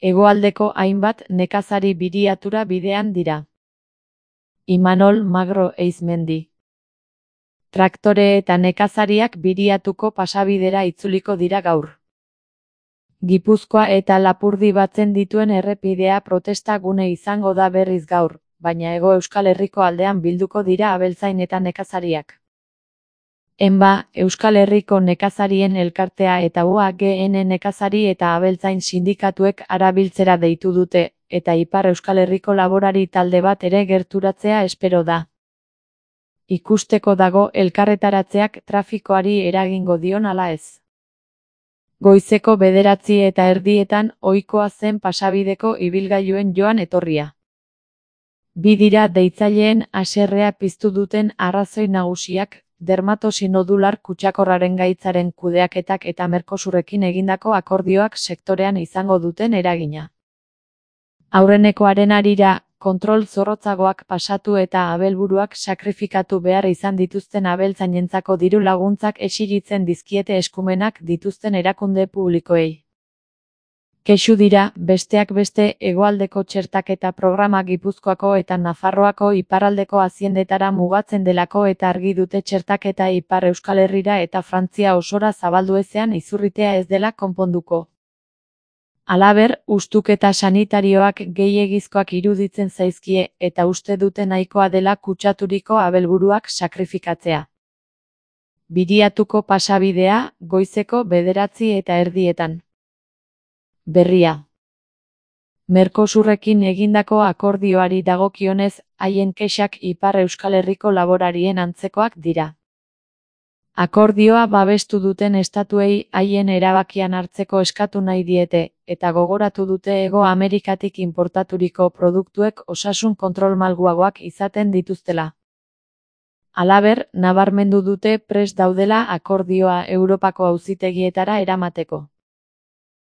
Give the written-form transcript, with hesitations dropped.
Hegoaldeko hainbat nekazari biriatura bidean dira. Imanol Magro Eizmendi. Traktore eta nekazariak biriatuko pasabidera itzuliko dira gaur. Gipuzkoa eta Lapurdi batzen dituen errepidea protesta gune izango da berriz gaur, baina Hego Euskal Herriko aldean bilduko dira abeltzain eta nekazariak. ENBA, Euskal Herriko Nekazarien Elkartea eta UAGN nekazari eta abeltzain sindikatuek arabiltzera deitu dute, eta Ipar Euskal Herriko laborari talde bat ere gerturatzea espero da. Ikusteko dago elkarretaratzeak trafikoari eragingo dion ala ez. Goizeko 9:30 ohikoa zen pasabideko ibilgailuen joan etorria. Bi dira deitzaileen haserrea piztu duten arrazoi nagusiak, dermatosi nodular kutsakorraren gaitzaren kudeaketak eta Mercosurrekin egindako akordioak sektorean izango duten eragina. Aurrenekoaren harira, kontrol zorrotzagoak pasatu eta abelburuak sakrifikatu behar izan dituzten abeltzainentzako diru laguntzak esilitzen dizkiete eskumenak dituzten erakunde publikoei. Kexu dira, besteak beste, hegoaldeko txertaketa programa Gipuzkoako eta Nafarroako iparraldeko haziendetara mugatzen delako eta argi dute txertaketa Ipar Euskal Herrira eta Frantzia osora zabaldu ezean izurritea ez dela konponduko. Halaber, ustuketa sanitarioak gehiegizkoak iruditzen zaizkie eta uste dute nahikoa dela kutsaturiko abelburuak sakrifikatzea. Biriatuko pasabidea, goizeko 9:30. Berria. Mercosurrekin egindako akordioari dagokionez, haien kexak Ipar Euskal Herriko laborarien antzekoak dira. Akordioa babestu duten estatuei haien erabakian hartzeko eskatu nahi diete, eta gogoratu dute Hego Amerikatik inportaturiko produktuek osasun kontrol malguagoak izaten dituztela. Halaber, nabarmendu dute prest daudela akordioa Europako auzitegietara eramateko.